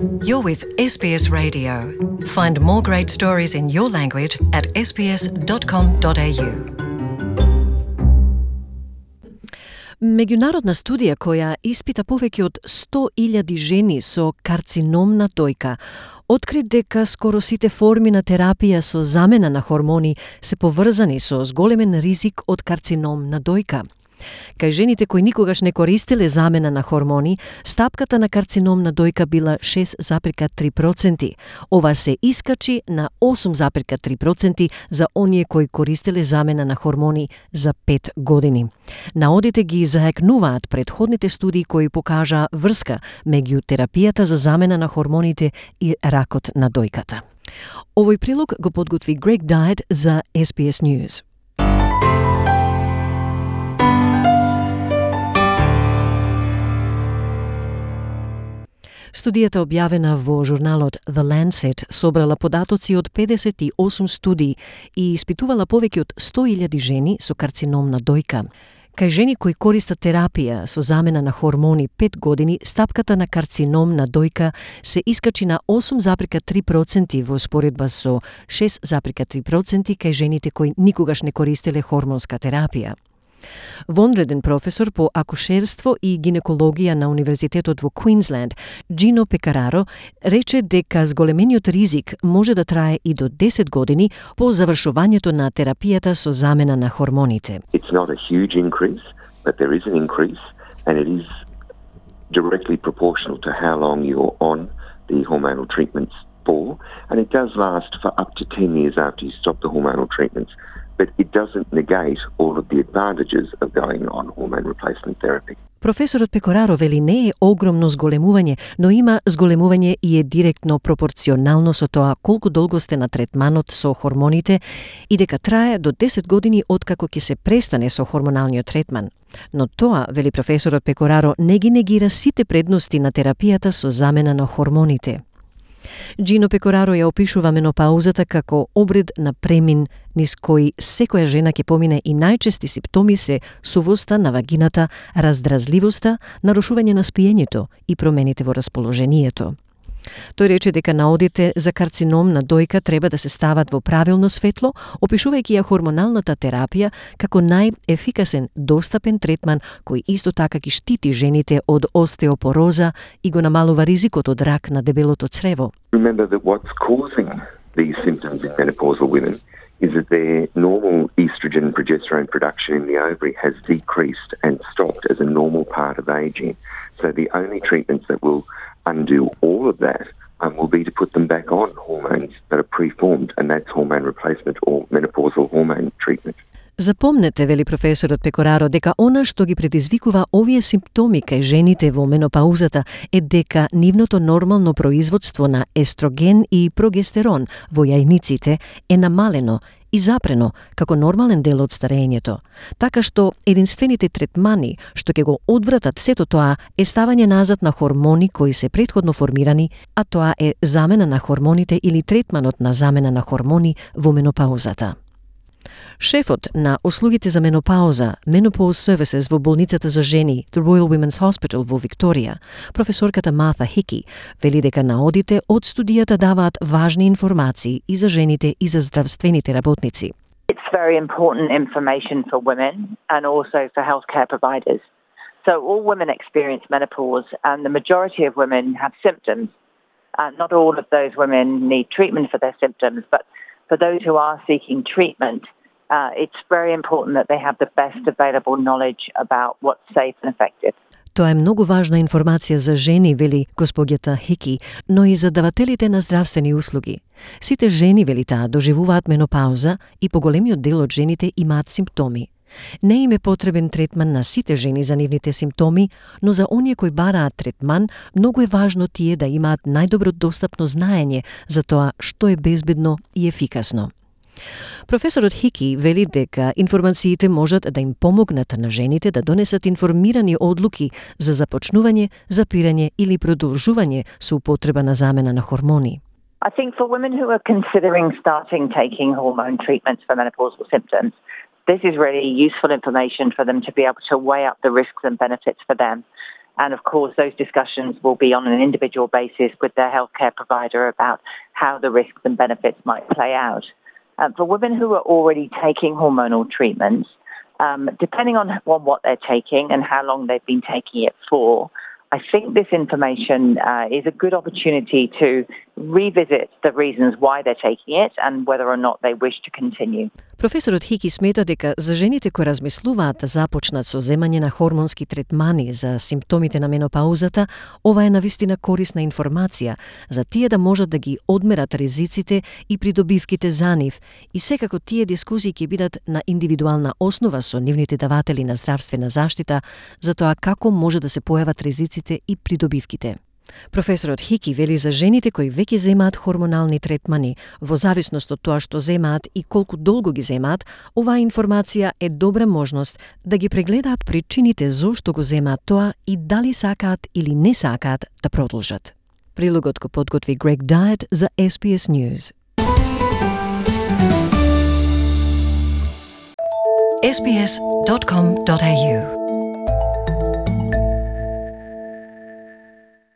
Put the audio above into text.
You're with SBS Radio. Find more great stories in your language at sbs.com.au. Меѓународна студија која испита повеќе од 100.000 жени со карцином на дојка откри дека скоро сите форми на терапија со замена на хормони се поврзани со зголемен ризик од карцином на дојка. Кај жените кои никогаш не користеле замена на хормони, стапката на карцином на дојка била 6,3%. Ова се искачи на 8,3% за оние кои користеле замена на хормони за 5 години. Наодите ги заекнуваат предходните студии кои покажа врска меѓу терапијата за замена на хормоните и ракот на дојката. Овој прилог го подготви Грег Дайет за SBS News. Студијата објавена во журналот The Lancet собрала податоци од 58 студии и испитувала повеќе од 100.000 жени со карцином на дојка. Кај жени кои користат терапија со замена на хормони 5 години, стапката на карцином на дојка се искачи на 8,3% во споредба со 6,3% кај жените кои никогаш не користеле хормонска терапија. Вонреден професор по акушерство и гинекологија на Универзитетот во Квинсленд, Gino Pecoraro, рече дека зголемениот ризик може да трае и до 10 години по завршувањето на терапијата со замена на хормоните. It's not a huge increase, but there is an increase and it is directly proportional to how long you're on the hormonal treatments for, and it does last for up to 10 years after you stop the hormonal treatments. But it doesn't negate all of the advantages of going on hormone replacement therapy. Професорот Пекораро вели не е огромно зголемување, но има зголемување и е директно пропорционално со тоа колку долго сте на третманот со хормоните и дека трае до 10 години откако ќе се престане со хормоналниот третман. Но тоа, вели професорот Пекораро, не ги негира сите предности на терапијата со замена на хормоните. Gino Pecoraro ја опишува менопаузата како обред на премин низ кој секоја жена ќе помине и најчести симптоми се сувоста на вагината, раздразливоста, нарушување на спиењето и промените во расположението. Тој рече дека наодите за карцином на дојка треба да се стават во правилно светло, опишувајќи ја хормоналната терапија како најефикасен достапен третман кој исто така ги штити жените од остеопороза и го намалува ризикот од рак на дебелото црево. Remember that what's causing these symptoms in menopausal women is that their normal estrogen and progesterone production in the ovary has decreased and stopped as a normal part of aging. So the only treatments that will undo all of that will be to put them back on hormones that are preformed, and that's hormone replacement or menopausal hormone treatment. Запомнете, вели професорот Пекораро, дека она што ги предизвикува овие симптоми кај жените во менопаузата е дека нивното нормално производство на естроген и прогестерон во јајниците е намалено и запрено како нормален дел од старењето. Така што единствените третмани што ќе го одвратат сето тоа е ставање назад на хормони кои се претходно формирани, а тоа е замена на хормоните или третманот на замена на хормони во менопаузата. Шефот на услугите за менопауза, Menopause Services во болницата за жени, The Royal Women's Hospital во Викторија, професорката Martha Hickey, вели дека наодите од студијата даваат важни информации и за жените и за здравствените работници. It's very important information for women and also for healthcare providers. So all women experience menopause and the majority of women have symptoms. Not all of those women need treatment for their symptoms, but for those who are seeking treatment, it's very important that they have the best available knowledge about what's safe and effective. Тоа е многу важна информација за жени, вели госпоѓата Хики, но и за давателите на здравствени услуги. Сите жени, вели таа, доживуваат менопауза и поголемиот дел од жените имаат симптоми. Не им е потребен третман на сите жени за нивните симптоми, но за оние кои бараат третман, многу е важно тие да имаат најдобро достапно знаење за тоа што е безбедно и ефикасно. Професорот Хики вели дека информациите можат да им помогнат на жените да донесат информирани одлуки за започнување, запирање или продолжување со употреба на замена на хормони. I think for women who are considering starting taking hormone treatments for menopausal symptoms, this is really useful information for them to be able to weigh up the risks and benefits for them. And of course, those discussions will be on an individual basis with their healthcare provider about how the risks and benefits might play out. For women who are already taking hormonal treatments, depending on what they're taking and how long they've been taking it for, I think this information is a good opportunity to revisit the reasons why they're taking it and whether or not they wish to continue. Професорот Хики смета дека за жените кои размислуваат да започнат со земање на хормонски третмани за симптомите на менопаузата, ова е навистина корисна информација за тие да можат да ги одмерат ризиците и придобивките за нив, и секако тие дискусии ќе бидат на индивидуална основа со нивните даватели на здравствена заштита за тоа како може да се појават ризиците и придобивките. Професорот Хики вели за жените кои веќе земаат хормонални третмани, во зависност од тоа што земаат и колку долго ги земаат, оваа информација е добра можност да ги прегледаат причините зошто го земаат тоа и дали сакаат или не сакаат да продолжат. Прилогот го подготви Грег Дайет за SBS News. sbs.com.au